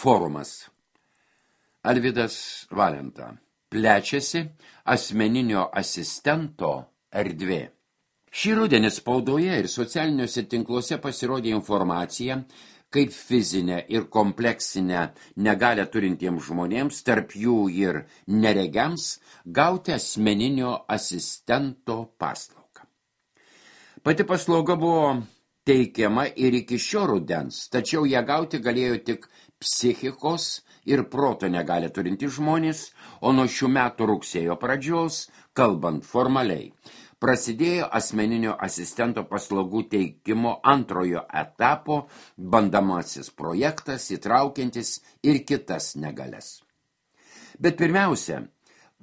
Forumas. Alvydas Valenta. Plečiasi asmeninio asistento erdvė. Šį rudenį spaudoje ir socialiniuose tinkluose pasirodė informacija, kaip fizinę ir kompleksinę negalią turintiems žmonėms, tarp jų ir neregiams, gauti asmeninio asistento paslaugą. Pati paslauga buvo teikiama ir iki šio rudens, tačiau ją gauti galėjo tik psichikos ir proto negalią turintys žmonės, o nuo šių metų rugsėjo pradžios, kalbant formaliai, prasidėjo asmeninio asistento paslaugų teikimo antrojo etapo bandomasis projektas, įtraukiantis ir kitas negalias. Bet pirmiausia,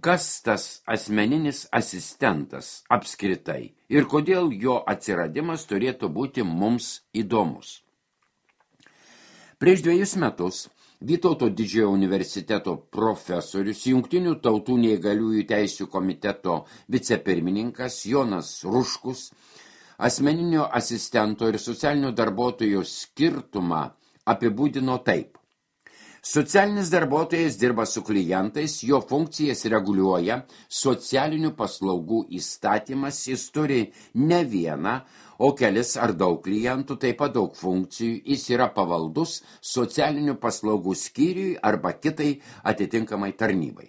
kas tas asmeninis asistentas apskritai ir kodėl jo atsiradimas turėtų būti mums įdomus. Prieš 2 metus Vytauto Didžiojo universiteto profesorius, Jungtinių tautų neįgaliųjų teisių komiteto vicepirmininkas Jonas Ruškus asmeninio asistento ir socialinio darbuotojo skirtumą apibūdino taip. Socialinis darbuotojas dirba su klientais, jo funkcijas reguliuoja socialinių paslaugų įstatymas, jis turi ne vieną, o kelis ar daug klientų, taip pat daug funkcijų, jis yra pavaldus socialinių paslaugų skyriui arba kitai atitinkamai tarnybai.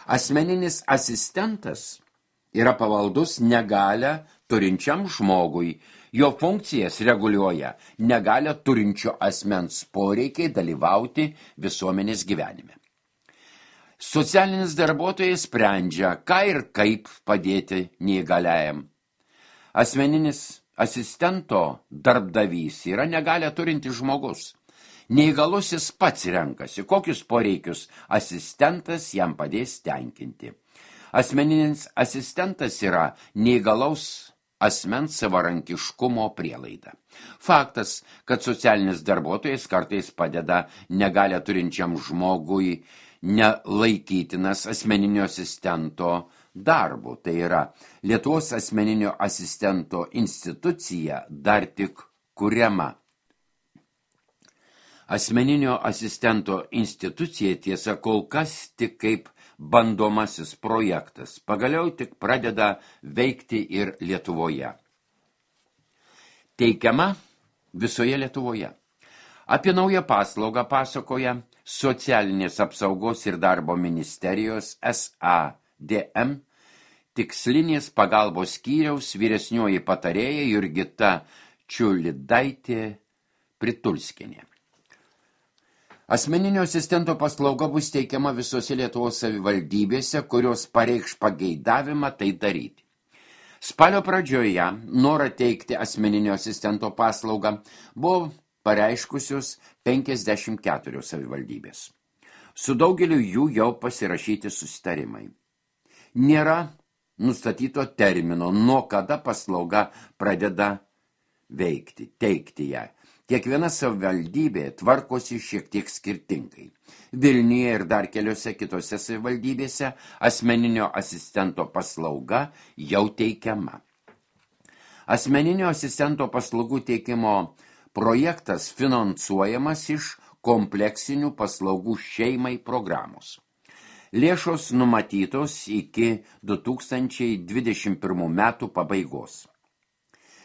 Asmeninis asistentas yra pavaldus negalią turinčiam žmogui, jo funkcijas reguliuoja negalią turinčio asmens poreikiai dalyvauti visuomenės gyvenime. Socialinis darbuotojas sprendžia, ką ir kaip padėti neįgaliajam. Asmeninis asistento darbdavys yra negalią turintis žmogus. Neįgalusis pats renkasi, kokius poreikius asistentas jam padės tenkinti. Asmeninis asistentas yra neįgalaus asmens savarankiškumo prielaida. Faktas, kad socialinis darbuotojas kartais padeda negalią turinčiam žmogui nelaikytinas asmeninio asistento darbu. Tai yra, Lietuvos asmeninio asistento institucija dar tik kuriama. Asmeninio asistento institucija tiesa kol kas tik kaip bandomasis projektas, pagaliau tik pradeda veikti ir Lietuvoje. Teikiama visoje Lietuvoje. Apie naują paslaugą pasakoja Socialinės apsaugos ir darbo ministerijos SADM tikslinės pagalbos skyriaus vyresnioji patarėja Jurgita Čiulidaitė Pritulskienė. Asmeninio asistento paslauga bus teikiama visose Lietuvos savivaldybėse, kurios pareikš pageidavimą tai daryti. Spalio pradžioje norą teikti asmeninio asistento paslaugą buvo pareiškusios 54 savivaldybės. Su daugeliu jų jau pasirašyti susitarimai. Nėra nustatyto termino, nuo kada paslauga pradeda veikti, teikti ją. Kiekviena savivaldybė tvarkosi šiek tiek skirtingai. Vilniuje ir dar keliose kitose savivaldybėse asmeninio asistento paslauga jau teikiama. Asmeninio asistento paslaugų teikimo projektas finansuojamas iš kompleksinių paslaugų šeimai programos. Lėšos numatytos iki 2021 metų pabaigos.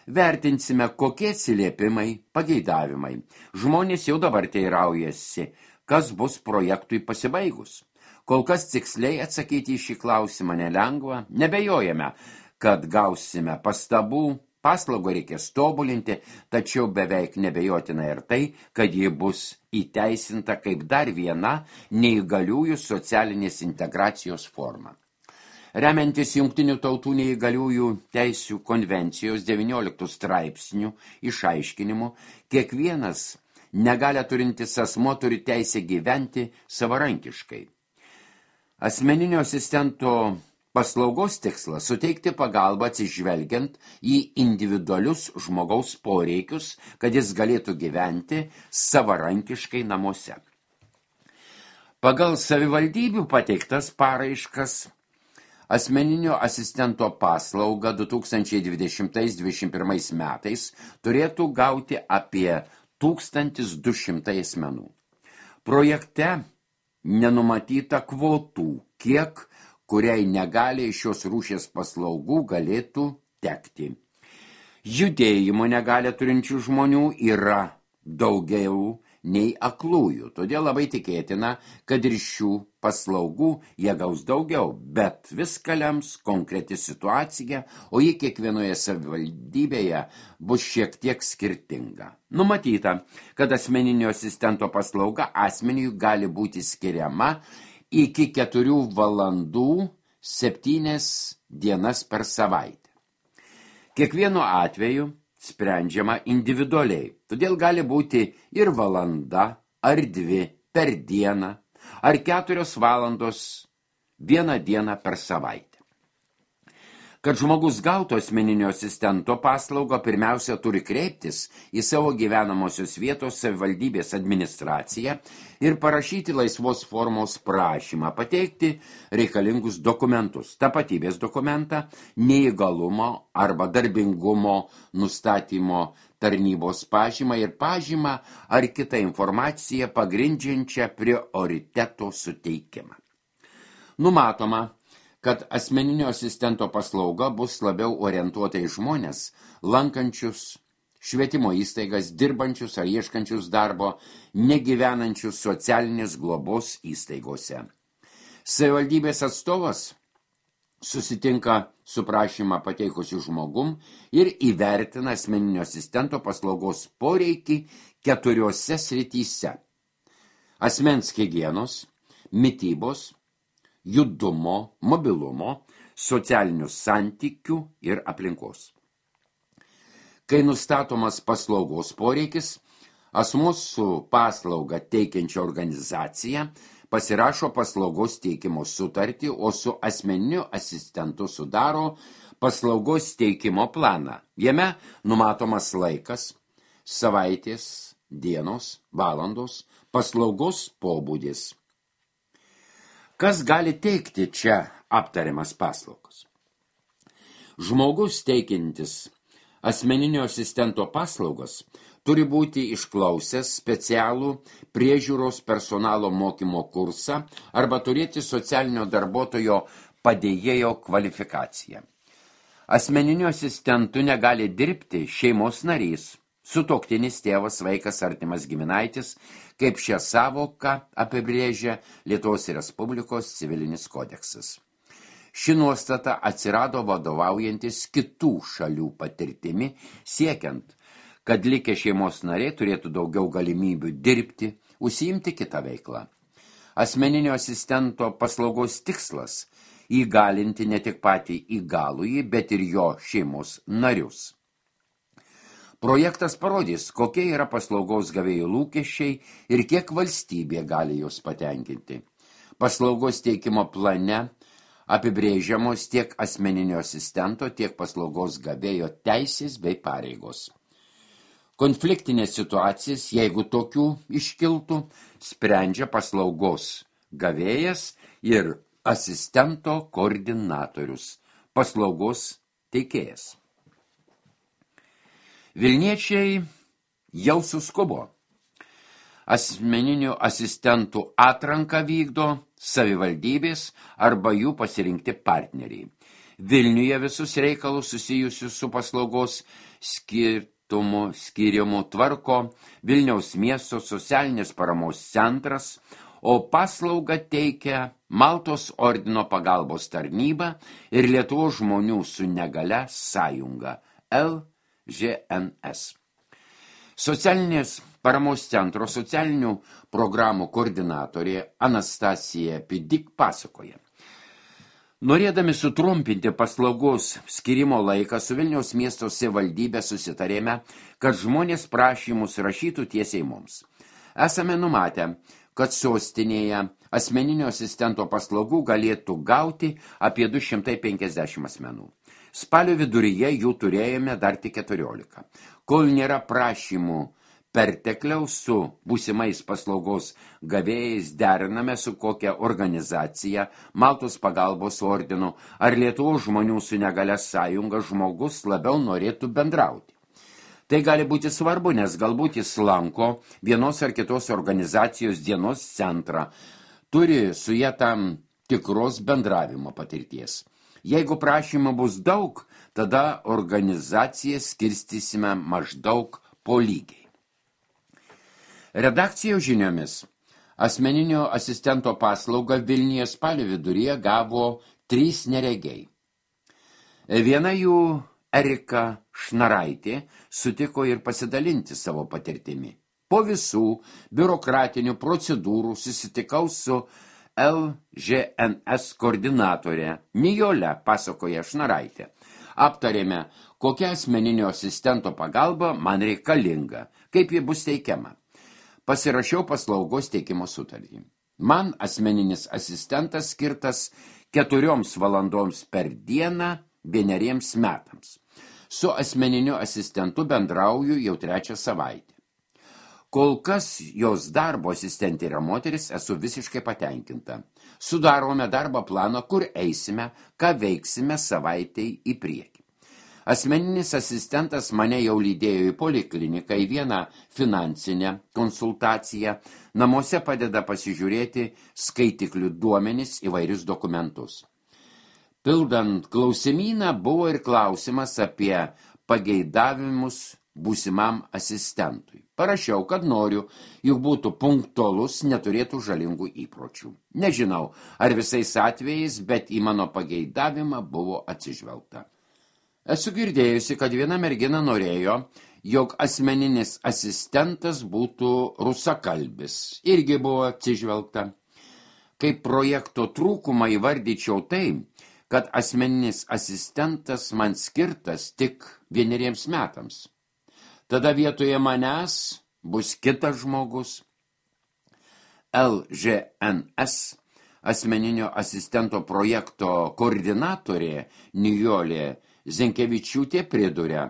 Vertinsime, kokie atsiliepimai, pageidavimai. Žmonės jau dabar teiraujasi, kas bus projektui pasibaigus. Kol kas tiksliai atsakyti į šį klausimą nelengva, nebejojame, kad gausime pastabų, paslaugą reikės tobulinti, tačiau beveik nebejotina ir tai, kad ji bus įteisinta kaip dar viena neįgaliųjų socialinės integracijos forma. Remiantis Jungtinių tautų neįgaliųjų teisių konvencijos 19 straipsnių išaiškinimu, kiekvienas negalią turintis asmuo turi teisę gyventi savarankiškai. Asmeninio asistento paslaugos tikslas suteikti pagalbą atsižvelgiant į individualius žmogaus poreikius, kad jis galėtų gyventi savarankiškai namuose. Pagal savivaldybių pateiktas paraiškas asmeninio asistento paslaugą 2020-2021 metais turėtų gauti apie 1200 asmenų. Projekte nenumatyta kvotų, kiek kuriai negaliai šios rūšies paslaugų galėtų tekti. Judėjimo negalę turinčių žmonių yra daugiau nei aklųjų, todėl labai tikėtina, kad ir šių paslaugų jie gaus daugiau, bet viską lems konkreti situacija, o ji kiekvienoje savivaldybėje bus šiek tiek skirtinga. Numatyta, kad asmeninio asistento paslauga asmeniui gali būti skiriama iki 4 valandų 7 dienas per savaitę. Kiekvienu atveju sprendžiama individualiai, todėl gali būti ir valanda, ar 2 per dieną, ar 4 valandos 1 dieną per savaitę. Kad žmogus gautų asmeninio asistento paslaugą, pirmiausia turi kreiptis į savo gyvenamosios vietos savivaldybės administraciją ir parašyti laisvos formos prašymą, pateikti reikalingus dokumentus, tapatybės dokumentą, neįgalumo arba darbingumo nustatymo tarnybos pažymą ir pažymą ar kitą informaciją pagrindžiančią prioriteto suteikimą. Numatoma, kad asmeninio asistento paslauga bus labiau orientuota į žmonės, lankančius švietimo įstaigas, dirbančius ar ieškančius darbo, negyvenančius socialinės globos įstaigose. Savivaldybės atstovas susitinka su prašymą pateikusiu žmogum ir įvertina asmeninio asistento paslaugos poreikį 4 srityse: asmens higienos, mitybos, judumo, mobilumo, socialinių santykių ir aplinkos. Kai nustatomas paslaugos poreikis, asmuo su paslauga teikiančia organizacija pasirašo paslaugos teikimo sutartį, o su asmeniniu asistentu sudaro paslaugos teikimo planą. Jame numatomas laikas, savaitės, dienos, valandos, paslaugos pobūdis. Kas gali teikti čia aptariamas paslaugas? Žmogus teikiantis asmeninio asistento paslaugas turi būti išklausęs specialų priežiūros personalo mokymo kursą arba turėti socialinio darbuotojo padėjėjo kvalifikaciją. Asmeniniu asistentu negali dirbti šeimos narys, sutuoktinis, tėvas, vaikas, artimas giminaitis, kaip šią savoką apibrėžia Lietuvos Respublikos civilinis kodeksas. Ši nuostata atsirado vadovaujantis kitų šalių patirtimi, siekiant, kad likę šeimos nariai turėtų daugiau galimybių dirbti, užsiimti kitą veiklą. Asmeninio asistento paslaugos tikslas – įgalinti ne tik patį įgalųjį, bet ir jo šeimos narius. Projektas parodys, kokie yra paslaugos gavėjų lūkesčiai ir kiek valstybė gali juos patenkinti. Paslaugos teikimo plane apibrėžiamos tiek asmeninio asistento, tiek paslaugos gavėjo teisės bei pareigos. Konfliktinės situacijas, jeigu tokių iškiltų, sprendžia paslaugos gavėjas ir asistento koordinatorius, paslaugos teikėjas. Vilniečiai jau suskubo. Asmeninių asistentų atranką vykdo savivaldybės arba jų pasirinkti partneriai. Vilniuje visus reikalus susijusius su paslaugos skirimu tvarko Vilniaus miesto socialinės paramos centras, o paslaugą teikia Maltos ordino pagalbos tarnyba ir Lietuvos žmonių su negalia sąjunga LŽNS. Socialinės paramos centro socialinių programų koordinatorė Anastasija Pidik pasakoja. Norėdami sutrumpinti paslaugos skirimo laiką, su Vilniaus miesto savivaldybė susitarėme, kad žmonės prašymus rašytų tiesiai mums. Esame numatę, kad sostinėje asmeninio asistento paslaugų galėtų gauti apie 250 asmenų. Spalio viduryje jų turėjome dar tik 14. Kol nėra prašymų pertekliaus, su būsimais paslaugos gavėjais deriname su kokia organizacija, Maltos pagalbos ordinu ar Lietuvos žmonių su negalia sąjunga žmogus labiau norėtų bendrauti. Tai gali būti svarbu, nes galbūt jis lanko vienos ar kitos organizacijos dienos centrą, turi su jie tam tikros bendravimo patirties. Jeigu prašymų bus daug, tada organizaciją skirstysime maždaug po lygiai. Redakcijos žiniomis asmeninio asistento paslaugą Vilniuje spalio viduryje gavo 3 neregiai. Viena jų, Erika Šnaraitė, sutiko ir pasidalinti savo patirtimi. Po visų biurokratinių procedūrų susitikau su LŽNS koordinatorė Nijole, pasakoja Šnaraitė. Aptarėme, kokia asmeninio asistento pagalba man reikalinga, kaip ji bus teikiama. Pasirašiau paslaugos teikimo sutartį. Man asmeninis asistentas skirtas 4 valandoms per dieną 1 metams. Su asmeniniu asistentu bendrauju jau 3 savaitę. Kol kas jos darbo asistentė yra moteris, esu visiškai patenkinta. Sudarome darbo planą, kur eisime, ką veiksime savaitei į priekį. Asmeninis asistentas mane jau lydėjo į polikliniką, į vieną finansinę konsultaciją, namuose padeda pasižiūrėti skaitiklių duomenis įvairius dokumentus. Pildant klausimyną buvo ir klausimas apie pageidavimus būsimam asistentui. Parašiau, kad noriu, juk būtų punktualus, neturėtų žalingų įpročių. Nežinau, ar visais atvejais, bet į mano pageidavimą buvo atsižvelgta. Esu girdėjusi, kad viena mergina norėjo, jog asmeninis asistentas būtų rusakalbis. Irgi buvo atsižvelgta. Kaip projekto trūkumą įvardyčiau tai, kad asmeninis asistentas man skirtas tik 1 metams. Tada vietoje manęs bus kitas žmogus. LŽNS asmeninio asistento projekto koordinatorė Nijolė Zenkevičiūtė priduria,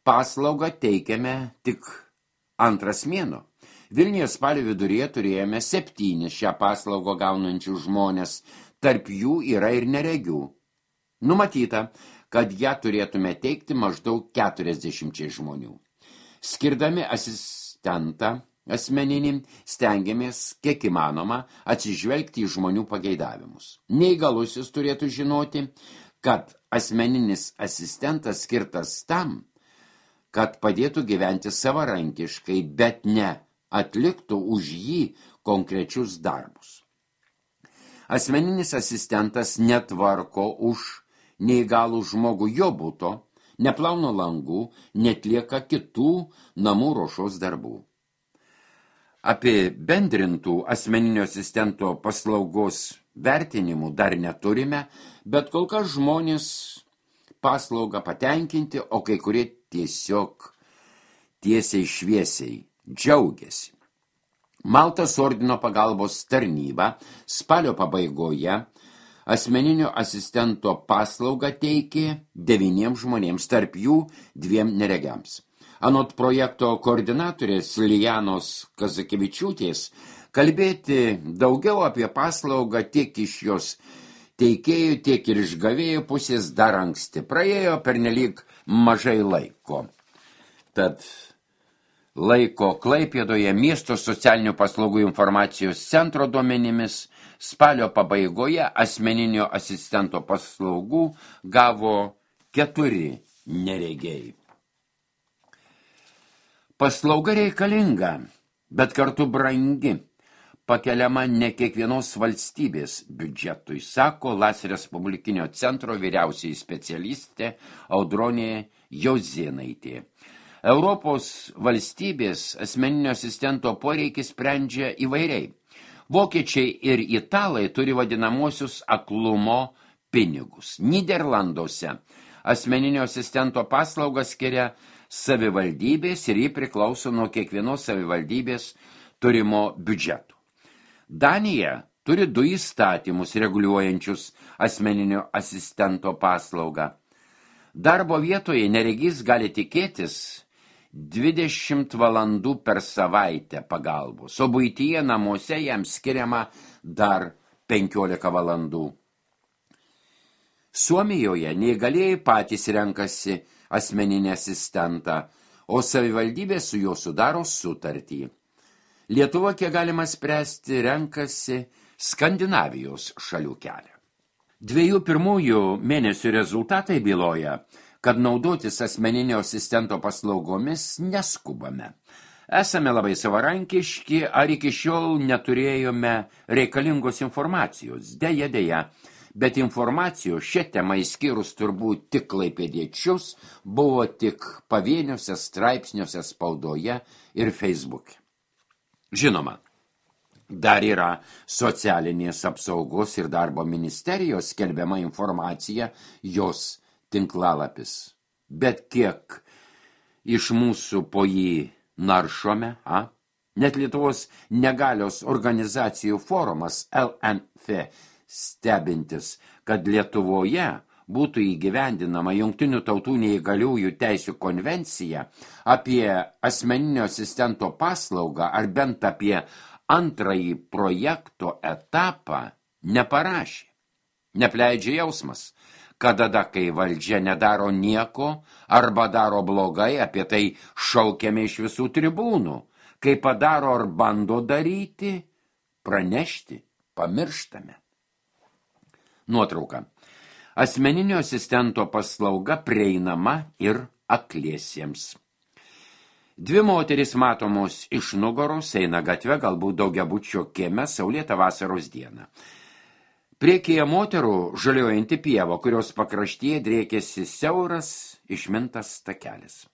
paslaugą teikiame tik 2 mėnuo. Vilniuje spalio viduryje turėjome 7 šią paslaugą gaunančių žmonės, tarp jų yra ir neregių. Numatyta, kad ją turėtume teikti maždaug 40 žmonių. Skirdami asistentą asmeninį, stengiamės, kiek įmanoma, atsižvelgti į žmonių pageidavimus. Neįgalusis turėtų žinoti, kad asmeninis asistentas skirtas tam, kad padėtų gyventi savarankiškai, bet ne atliktų už jį konkrečius darbus. Asmeninis asistentas netvarko už neįgalų žmogų jo buto, neplauna langų, netlieka kitų namų ruošos darbų. Apibendrintų asmeninio asistento paslaugos vertinimų dar neturime, bet kol kas žmonės paslaugą patenkinti, o kai kurie tiesiog tiesiai šviesiai džiaugiasi. Maltos ordino pagalbos tarnyba spalio pabaigoje asmeninio asistento paslaugą teikė 9 žmonėms, tarp jų 2 neregiams. Anot projekto koordinatorės Lijanos Kazakevičiūtės, kalbėti daugiau apie paslaugą tiek iš jos teikėjų, tiek ir iš gavėjų pusės dar anksti. Praėjo pernelyg mažai laiko. Tad laiko Klaipėdoje miesto socialinių paslaugų informacijos centro duomenimis spalio pabaigoje asmeninio asistento paslaugų gavo 4 neregiai. Paslauga reikalinga, bet kartu brangi, pakeliama ne kiekvienos valstybės biudžetui, sako LAS Respublikinio centro vyriausiai specialistė Audronė Jozėnaitė. Europos valstybės asmeninio asistento poreikį sprendžia įvairiai. Vokiečiai ir italai turi vadinamosius aklumo pinigus. Nyderlanduose asmeninio asistento paslaugą skiria savivaldybės ir jį priklauso nuo kiekvienos savivaldybės turimo biudžeto. Danija turi 2 įstatymus reguliuojančius asmeninio asistento paslaugą. Darbo vietoje neregys gali tikėtis 20 valandų per savaitę pagalbos, o buityje namuose jam skiriama dar 15 valandų. Suomijoje neįgalieji patys renkasi asmeninį asistentą, o savivaldybė su juo sudaro sutartį. Lietuva, kiek galima spręsti, renkasi Skandinavijos šalių kelią. 2 pirmųjų mėnesių rezultatai byloja, kad naudotis asmeninio asistento paslaugomis neskubame. Esame labai savarankiški, ar iki šiol neturėjome reikalingos informacijos. Deja, bet informacijos šią temą išskyrus turbūt tik klaipėdiečius buvo tik pavieniuose straipsniuose spaudoje ir Facebook'e. Žinoma, dar yra socialinės apsaugos ir darbo ministerijos skelbiama informacija, jos tinklalapis. Bet kiek iš mūsų po jį naršome, Net Lietuvos negalios organizacijų forumas LNF stebintis, kad Lietuvoje būtų įgyvendinama Jungtinių tautų neįgaliųjų teisių konvencija apie asmeninio asistento paslaugą ar bent apie antrąjį projekto etapą neparašė. Nepleidžia jausmas, kad tada, kai valdžia nedaro nieko arba daro blogai, apie tai šaukiame iš visų tribūnų. Kai padaro ar bando daryti, pranešti, pamirštame. Nuotrauka. Asmeninio asistento paslauga prieinama ir akliesiems. 2 moterys matomos iš nugaros eina gatve, galbūt daugiabučio kieme saulėtą vasaros dieną. Priekyje moterų žaliuojanti pieva, kurios pakraštyje driekėsi siauras išmintas takelis.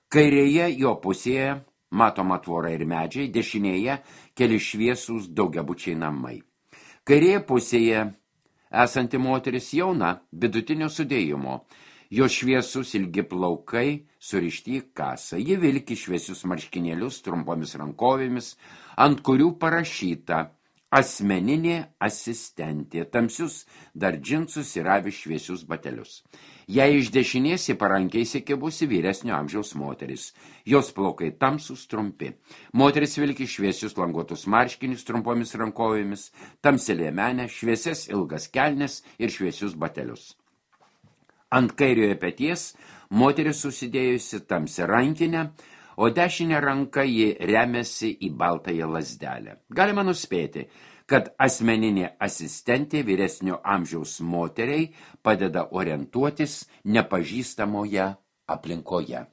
Kairėje jo pusėje matoma tvora ir medžiai, dešinėje keli šviesūs daugiabučiai namai. Kairėje pusėje esanti moteris jauna, vidutinio sudėjimo. Jos šviesus ilgi plaukai surišti į kasą. Ji vilki šviesius marškinėlius trumpomis rankovėmis, ant kurių parašyta asmeninė asistentė, tamsius dar džinsus ir avi šviesius batelius. Jei iš dešinės į parankiai įsikibusi vyresnio amžiaus moteris. Jos plaukai tamsus trumpi. Moteris vilki šviesius languotus marškinius trumpomis rankovėmis, tamsią liemenę, šviesias ilgas kelnes ir šviesius batelius. Ant kairiojo peties moteris susidėjusi tamsią rankinę, o dešinę ranką ji remiasi į baltąją lazdelę. Galima nuspėti, kad asmeninė asistentė vyresnio amžiaus moteriai padeda orientuotis nepažįstamoje aplinkoje.